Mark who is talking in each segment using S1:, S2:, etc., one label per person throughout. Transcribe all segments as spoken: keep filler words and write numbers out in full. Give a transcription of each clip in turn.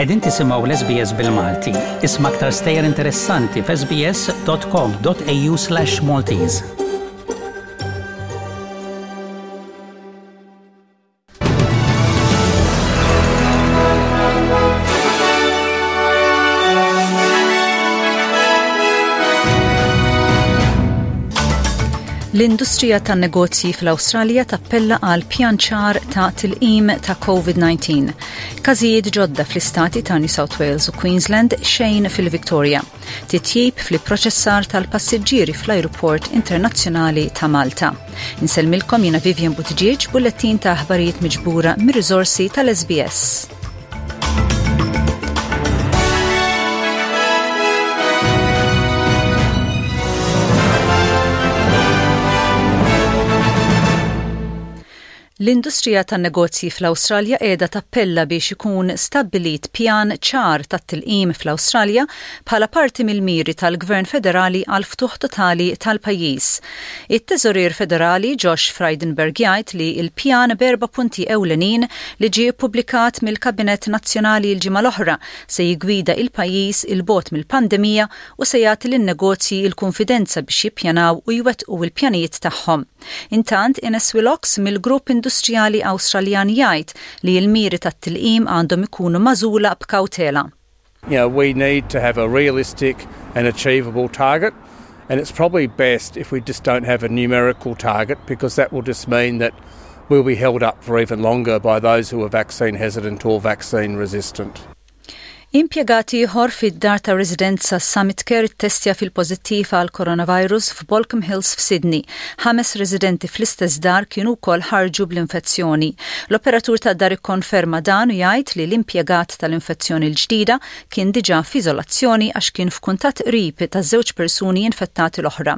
S1: Qegħdin tisimgħu l-S B S bil-Malti. Isma' aktar stejjer interessanti f'S B S dot com dot A U slash Maltese.
S2: L-industrija tan-negozji fl-Awstralja tappella għal pjan ċar ta' tilqim ta' COVID disa. Każijiet ġodda fl-istati ta' New South Wales u Queensland, xejn fil-Victoria. Titjib fl-proċessar tal-passiġġieri fl-Ajruport Internazzjonali ta' Malta. Insellmilkom jiena Vivian Buttigieg, bullettin ta' aħbarijiet miġbura mir-riżorsi tal-S B S. L-industrija tan-negozji fl-Awstralja qiegħda tappella biex ikun stabbilit pjan ċar tat-tilqim fl-Awstralja bħala parti mill-miri tal-Gvern Federali għal ftuħ totali tal-pajjiż. It-Teżorier Federali Josh Frydenberg jgħid li l-pjan b'erba' punti ewlenin li ġie ppubblikat mill-Kabinett Nazzjonali l-ġimgħa l-oħra se jigwida il-pajjiż 'il bogħod mill-pandemija u se jagħti lin-negozji l-konfidenza biex jippjanaw u jwettqu l-pjanijiet tagħhom. Intant, Innes Willox mill-Grupp Industrijali Awstraljan jgħid li l-miri tat-tilqim għandhom ikunu magħżula b'kawtela.
S3: You know, we need to have a realistic and achievable target, and it's probably best if we just don't have a numerical target, because that will just mean that we'll be held up for even longer by those who are vaccine hesitant or vaccine resistant.
S2: Impjegat ieħor fid-dar ta' residenza Summit Care testja fil-pożittiv għal coronavirus f'Baulkham Hills f'Sydney. Ħames residenti fl-istess dar kienu wkoll ħarġu bl-infezzjoni. L-operatur ta' dar ikkonferma dan u jgħid li l-impjegat tal-infezzjoni l-ġdida kien diġà f'iżolazzjoni għax kien f'kuntatt qrib ta' żewġ persuni infettati l-oħra.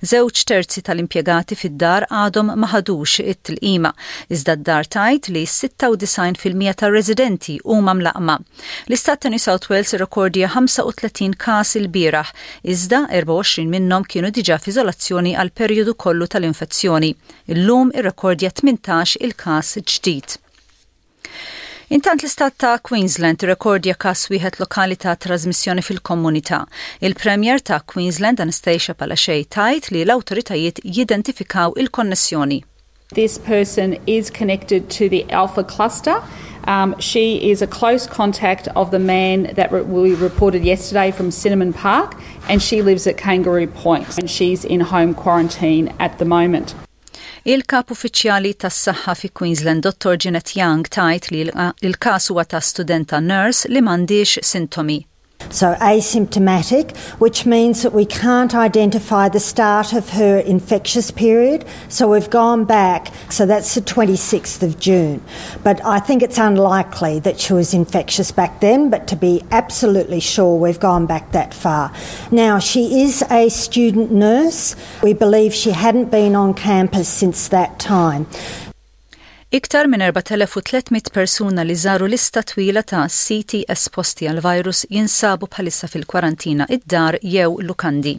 S2: Żewġ terzi tal-impjegati fid-dar għadhom ma ħadux it-tilqima, iżda d-dar tgħid li sitta u disgħin fil-mija tar-residenti huma mlaqqma. L-istat New South Wales irrekordja ħamsa u tletin każ ilbieraħ, iżda erbgħa u għoxrin minnhom kienu diġà f'iżolazzjoni għal perjodu kollu tal-infezzjoni. Illum irrekordja tmintax il-każ ġdid. Intant, l-istat ta' Queensland irrekordja każ wieħed lokali ta' trasmissjoni fil-komunità. Il-Premier ta' Queensland Anastasia Palaszczuk tgħid li l-awtoritajiet jidentifikaw il-konnessjoni.
S4: This person is connected to the Alpha cluster. Um, she is a close contact of the man that re- we reported yesterday from Cinnamon Park, and she lives at Kangaroo Point, and she's in home quarantine at the moment.
S2: Il-kap uffiċjali tas-saħħa fi Queensland, Dottor Jeanette Young, tgħid li l-każ huwa ta' studenta nurse li m'għandix sintomi.
S5: So asymptomatic, which means that we can't identify the start of her infectious period. So we've gone back, so that's the twenty-sixth of June. But I think it's unlikely that she was infectious back then, but to be absolutely sure, we've gone back that far. Now, she is a student nurse. We believe she hadn't been on campus since that time.
S2: Iktar minn erbat elef u tliet mitt persuna li żaru lista twila ta' siti esposti għal virus jinsabu bħalissa fil-kwarantina id-dar jew lukandi.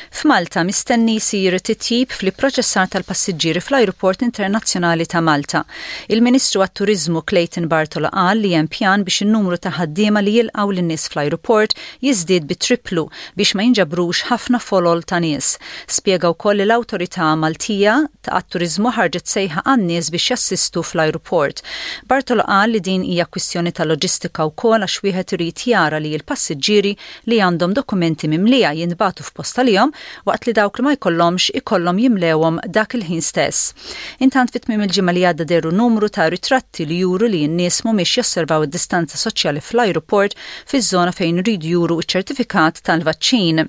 S2: F'Malta mistenni jsir titjib fl-proċessar tal-passiġġieri fl-Ajruport Internazzjonali ta' Malta. Il-Ministru għat-Turizmu Clayton Bartolo qal li hemm pjan biex in-numru ta' ħaddiema li jilqgħu lin-nies fl-ajruport jiżdied bi triplu biex ma jinġabrux ħafna folol ta' nies. Spjega wkoll li l-Awtorità Maltija ta' Turizmu ħarġet sejħa għan-nies biex jassistu fl-ajruport. Bartolo qal li din hija kwistjoni ta' loġistika wkoll, għax wieħed irid jara li l-passiġġieri li għandhom dokumenti mimlija jintbagħtu f'post għalihom, waqt li dawk li ma jkollhomx ikollhom jimlewhom dak il-ħin stess. Intant, fi tmiem il-ġimgħa li għadda dehru numru ta' ritratti li juru li n-nies mhumiex josservaw id-distanza soċjali fl-ajruport, fiż-żona fejn iridu juru ċ-ċertifikat tal-vaċċin.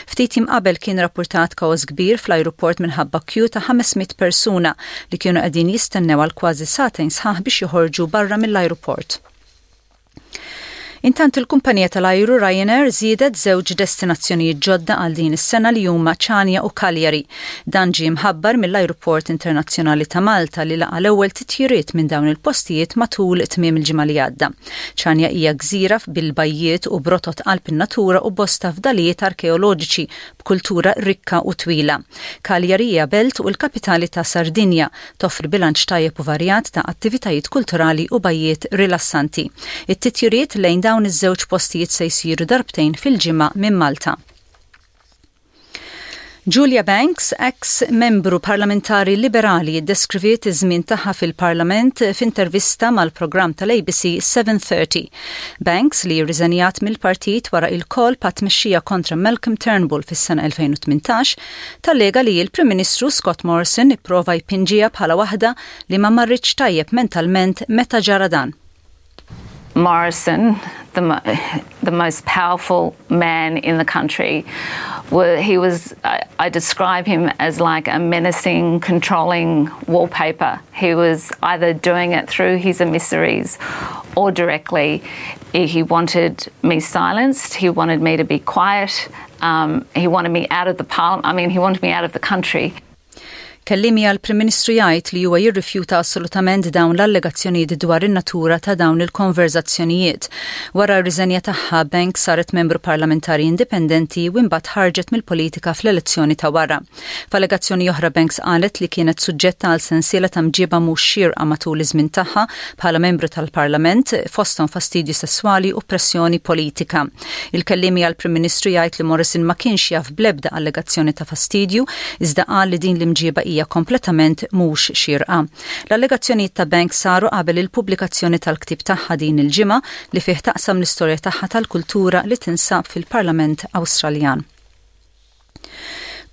S2: Ftit jiem qabel kien rapportat kaos kbir fl-ajruport minħabba kju ta' ħames mitt persuna li kienu qegħdin jistennew għal kważi sagħtejn sħaħ biex joħorġu barra mill-ajruport. Intant, il-kumpanija tal-ajru Ryanair żiedet żewġ destinazzjonijiet ġodda għal din is-sena li huma Ċanja u Cagliari. Dan ġie mħabbar mill-Ajruport Internazzjonali ta' Malta, li laqa l-ewwel titjiriet minn dawn il-postijiet matul tmiem il-ġimgħa li għadda. Ċanja hija gżira bil-bajjiet u b'rotot qalb in-natura u bosta fdalijiet arkeoloġiċi b'kultura rikka u twila. Cagliari hija belt u l-kapitali ta' Sardinja, toffri bilanċ tajjeb u varjat ta' attivitajiet kulturali u bajjiet rilassanti. It-titjiriet lejn dawn iż-żewġ postijiet se jsiru darbtejn fil-ġimgħa minn Malta. Julia Banks, ex membru parlamentari liberali, deskriviet iż-żmien tagħha fil-Parlament f'intervista mal-programm tal-A B C seven thirty. Banks, li rriżenjat mill-partit wara il-kolp għat-tmexxija kontra Malcolm Turnbull fis-sena elfejn u tmintax, tallega li l-Prim Ministru Scott Morrison ipprova jpinġiha bħala waħda li ma marritx tajjeb mentalment meta ġara dan.
S6: Morrison, the, the most powerful man in the country, he was, I, I describe him as like a menacing, controlling wallpaper. He was either doing it through his emissaries or directly. He wanted me silenced. He wanted me to be quiet. Um, he wanted me out of the parliament. I mean, he wanted me out of the country.
S2: Kelliem għall-Prim Ministru jgħid li huwa jirrifjuta assolutament dawn l-allegazzjonijiet dwar in-natura ta' dawn il-konverzazzjonijiet. Wara r-riżenja tagħha, Banks saret membru parlamentari indipendenti u imbagħad ħarġet mill-politika fl-elezzjoni ta' wara. F'allegazzjoni oħra, Banks qalet li kienet suġġetta għal sensiela ta' mġiba mhux xierqa matul iż-żmien tagħha bħala membru tal-Parlament, fosthom fastidju sesswali u pressjoni politika. Il-kelliem għall-Prim Ministru jgħid li Morrison ma kienx jaf blebda allegazzjoni ta' fastidju, iżda qal li din l-imġiba hija kompletament mhux xierqa. L-allegazzjonijiet ta' Banks saru qabel il-pubblikazzjoni tal-ktib tagħha din il-ġimgħa, li fih taqsam l-istorja tagħha tal-kultura li tinsab fil-Parlament Awstraljan.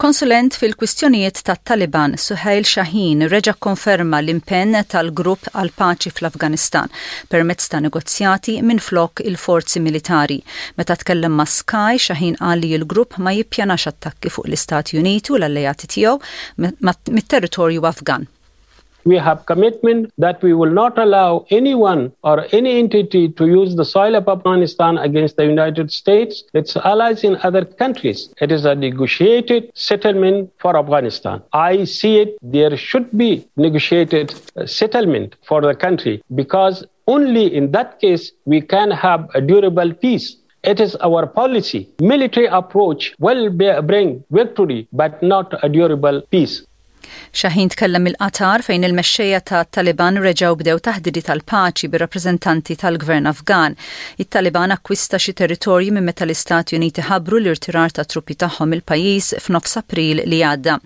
S2: Konsulent fil-kwistjonijiet tat-Taliban, Suhail Shaheen, reġa konferma l-impenn tal-grupp għal paċi fl-Afganistan permezz ta' negozjati minn flok il-forzi militari. Meta tkellem ma' Sky, Shaheen qal li l-grupp ma jippjanax attakki fuq l-Istati Uniti u l-alleati tiegħu mit-territorju Afgan.
S7: We have commitment that we will not allow anyone or any entity to use the soil of Afghanistan against the United States, its allies in other countries. It is a negotiated settlement for Afghanistan. I see it, there should be negotiated settlement for the country because only in that case we can have a durable peace. It is our policy. Military approach will bring victory, but not a durable peace.
S2: Shaheen tkellem mill-Qatar, fejn il-mexxejja ta' Taliban reġgħu bdew taħdidi tal-paċi bir-rappreżentanti tal-gvern Afgan. It-Taliban akkwista xi territorji minn meta l-Istati Uniti ħabbru l-irtirar ta' truppi tagħhom il-pajjiż f'nofs April li għadda.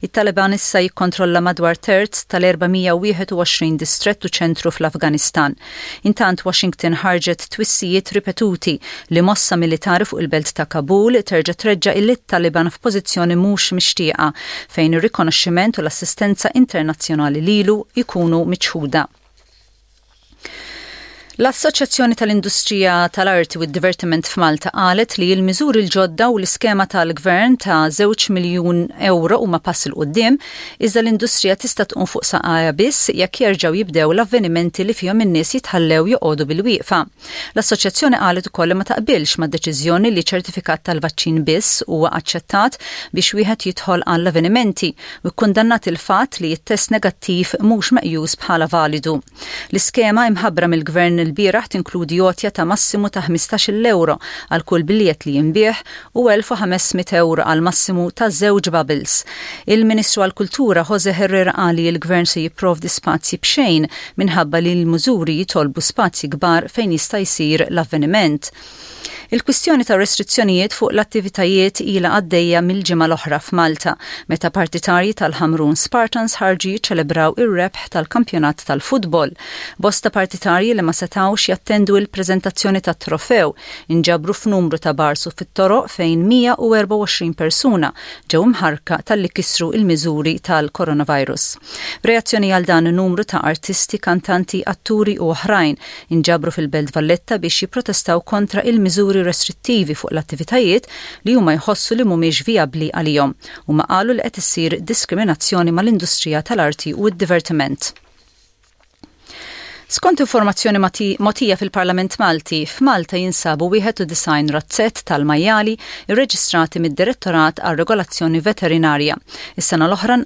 S2: It-Taliban issa jikkontrolla madwar terz tal-erba' mija u wieħed u għoxrin distrett u ċentru fl-Afganistan. Intant, Washington ħarġet twissijiet ripetuti li mossa militari fuq il-belt ta' Kabul terġa' treġġa' il-Taliban f'pożizzjoni mhux mixtieqa, fejn ir-rikonoxximent u l-assistenza internazzjonali lilu jkunu miċħuda. L-Assoċjazzjoni tal-Industrija tal-Arti u d-Divertiment f'Malta qalet li l-miżuri l-ġodda u l-iskema tal-Gvern ta' żewġ miljun euro huma pass 'il quddiem, iżda l-industrija tista' tqum fuq saqajha biss jekk jerġgħu jibdew l-avvenimenti li fihom in-nies jitħallew joqogħdu bil-wieqfa. L-Assoċjazzjoni qalet ukoll li ma taqbilx mad-deċiżjoni li ċertifikat tal-vaċċin biss huwa aċċettat biex wieħed jidħol għall-avvenimenti u kkundannat il-fatt li t-test negattiv mhux meqjus bħala validu. L-iskema imħabbra mill-Gvern il-bieraħ tinkludi għotja ta' massimu ta' ħmistax-il euro għal kull biljett li jinbiegħ u elf u ħames mitt euro għal massimu ta' żewġ bubbles. Il-Ministru għal-Kultura Jose Herrera qal li l-Gvern se jipprovdi spazji b'xejn minħabba li l-mużuri jitolbu spazji kbar fejn jista' jsir l-avveniment. Il-kwistjoni ta' restrizzjonijiet fuq l-attivitajiet ila għaddejja mill-ġimgħa l-oħra f'Malta, meta partitarji tal-Ħamrun Spartans ħarġu jiċċelebraw ir-rebħ tal-kampjonat tal-futbol. Bosta partitarji li ma setawx jattendu il-preżentazzjoni tat-trofew inġabru f'numru ta' bars u fit-toroq, fejn mija u erbgħa u għoxrin persuna ġew imħarka talli kisru il-miżuri tal-coronavirus. Reazzjoni għal dan, numru ta' artisti, kantanti, atturi u oħrajn inġabru fil-Belt Valletta biex jipprotestaw kontra il-miżuri restrittivi fuq l-attivitajiet li huma jħossu li mhumiex vijabbli għalihom, u ma qalu li qed issir diskriminazzjoni mal-industrija tal-arti u d-divertiment. Skont informazzjoni mogħtija fil-Parlament Malti, f'Malta jinsabu wieħed u disgħin razzett tal-majjali irreġistrati mid-Direttorat għal Regolazzjoni Veterinarja. Is-sena l-oħra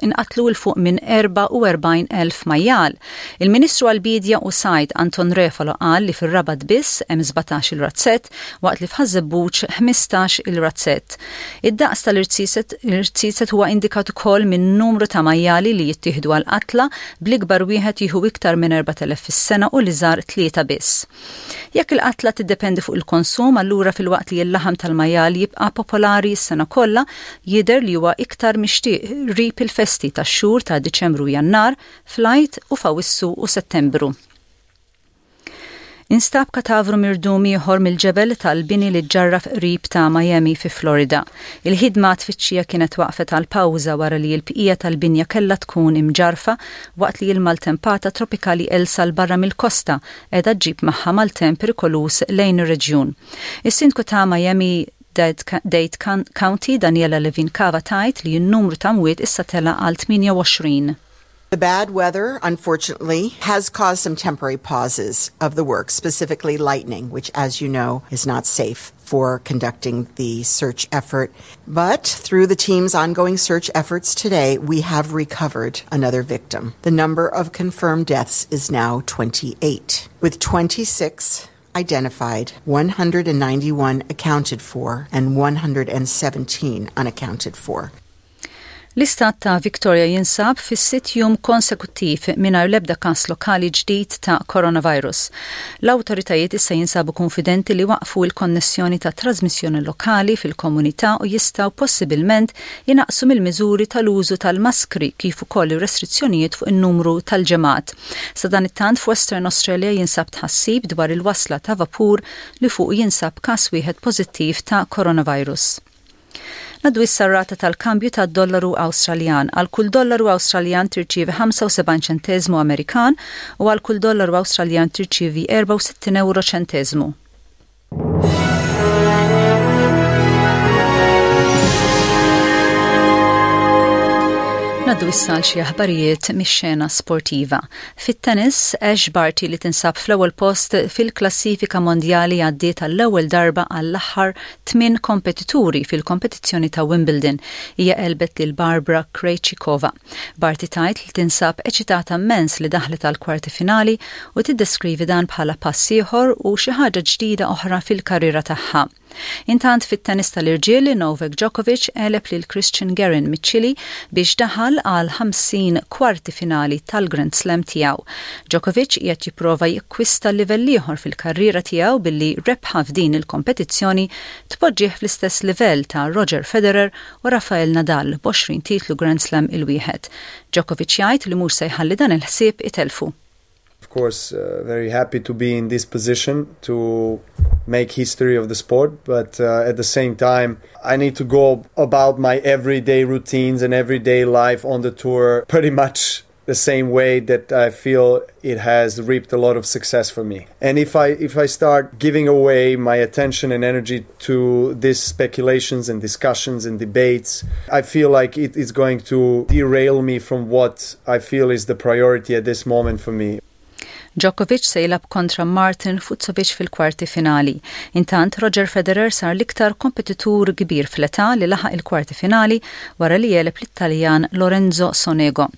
S2: inqatlu 'l fuq minn erbgħa u erbgħin elf majjal. Il-Ministru għall-Bidja u Sajd Anton Refalo qal li fir-Rabat biss hemm sbatax il-razzett, waqt li f'Ħaż-Żebbuġ ħmistax il-razzett. Id-daqs tal-irziezet huwa indikat ukoll minn numru ta' majjali li jittieħdu għal qatla, bl-ikbar wieħed jieħu iktar minn erbat elef fis-sena u l-iżgħar tlieta biss. Jekk il-qatla tiddependi fuq il-konsum, allura filwaqt li l-laħam tal-majjal jibqa' popolari s-sena kollha, jidher li huwa iktar mixtieq qrib il-festi tax-xhur ta' Diċembru, Jannar, fl-Għid u f'Awissu u Settembru. Instab katavru mirdum ieħor mill-ġebel tal-bini li ġarraf qrib ta' Miami fi Florida. Il-ħidma tfittxija kienet waqfet għal pawża wara li l-bqija tal-binja kellha tkun imġarfa waqt li l-maltempata tropikali Elsa 'l barra mill-kosta qiegħda ġġib magħha maltemp perikoluż lejn ir-reġjun. Is-sindku ta' Miami Dade County, Daniela Levine Cava, tgħid li n-numru ta' mwiet issa tela għal tmienja u għoxrin.
S8: The bad weather, unfortunately, has caused some temporary pauses of the work, specifically lightning, which, as you know, is not safe for conducting the search effort. But through the team's ongoing search efforts today, we have recovered another victim. The number of confirmed deaths is now twenty-eight, with twenty-six identified, one hundred ninety-one accounted for, and one hundred seventeen unaccounted for.
S2: L-istat ta' Victoria jinsab fis-sitt jum konsekuttiv mingħajr l-ebda kas lokali ġdid ta' coronavirus. L-awtoritajiet issa jinsabu konfidenti li waqfu il-konnessjoni ta' trasmissjoni lokali fil-komunità u jistgħu possibilment jinaqsu mill-miżuri tal-użu tal-maskri kif ukoll ir-restrizzjonijiet fuq in-numru tal-ġemgħat. Sadanittant, f'Western Australia jinsab tħassib dwar il-wasla ta' vapur li fuq jinsab kas wieħed pożittiv ta' coronavirus. Ngħaddu issa r-rata tal-kambju tad-dollaru Awstraljan. Għal kull dollaru Awstraljan tirċievi ħamsa u sebgħin ċentesmu Amerikan u għal kull dollaru Awstraljan tirċievi erbgħa u sittin euro ċentesmu. Ngħaddu issa għal xi aħbarijiet mix-xena sportiva. Fit-tennis, Ash Barty, li tinsab fl-ewwel post fil-klassifika mondjali, għaddiet għall-ewwel darba għall-aħħar tmien kompetituri fil-kompetizzjoni ta' Wimbledon. Hija għelbet lil Barbara Krejcikova. Barty tgħid li tinsab eċitata immens li daħlet għal kwarti finali u tiddeskrivi dan bħala pass ieħor u xi ħaġa ġdida oħra fil-karriera tagħha. Intant, fit-tennis tal-irġiel, Novak Djokovic għeleb lil Christian Garin miċ-Ċili biex daħal għal ħamsin kwarti finali tal-Grand Slam tiegħu. Djokovic qiegħed jipprova jikkwista livell ieħor fil-karriera tiegħu billi rebħa f'din il-kompetizzjoni tpoġġih fl-istess livell ta' Roger Federer u Rafael Nadal b'għoxrin titlu Grand Slam il-wieħed. Djokovic jgħid li mhux se jħalli dan il-ħsieb itelfu.
S9: Of course, uh, very happy to be in this position to make history of the sport, but uh, at the same time, I need to go about my everyday routines and everyday life on the tour pretty much the same way that I feel it has reaped a lot of success for me. And if I if I start giving away my attention and energy to these speculations and discussions and debates, I feel like it is going to derail me from what I feel is the priority at this moment for me.
S2: Djokovic se jilgħab kontra Martin Fucsovics fil-kwarti finali. Intant, Roger Federer sar l-iktar kompetitur kbir fl-età li laħaq il-kwarti finali wara li għeleb l-Italjan Lorenzo Sonego.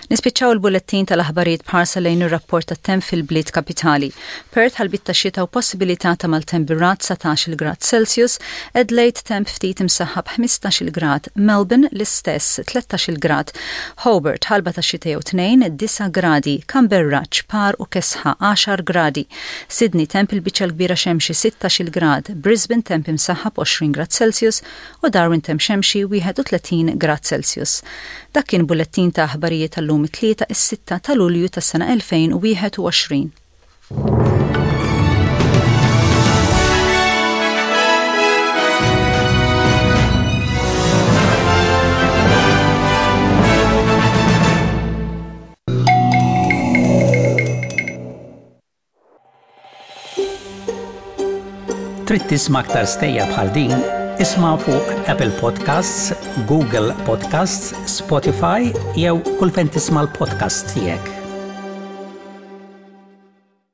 S2: Nispiċċaw il-bullettin tal-aħbarijiet b'ħarsa lejn ir-rapport tat-temp fil-bliet kapitali. Perth, ħalbiet ta' xita u possibilità ta' maltemp bir-ragħad, dsatax-il grad Celsius, Adelaide, temp ftit imsaħħab, ħmistax-il grad, Melbourne l-istess, tlettax-il grad, Hobart, ħalba ta' xita jew tnejn, disa' gradi, Canberra, ċpar u kesħa, għaxar gradi, Sydney, temp il-biċċa l-kbira xemxi, sittax-il grad, Brisbane, temp imsaħħab, għoxrin grad Celsius u Darwin, temp xemxi, wieħed u tletin grad Celsius. Dak kien bullettin ta' aħbarijiet tal-lum, it-Tlieta, is-sitta ta' Lulju tas-sena elfejn u wieħed u għoxrin.
S1: Trid tisma' aktar stejjer bħal din? Isma' fuq Apple Podcasts, Google Podcasts, Spotify jew kull fejn tisma' l-podcast tiegħek.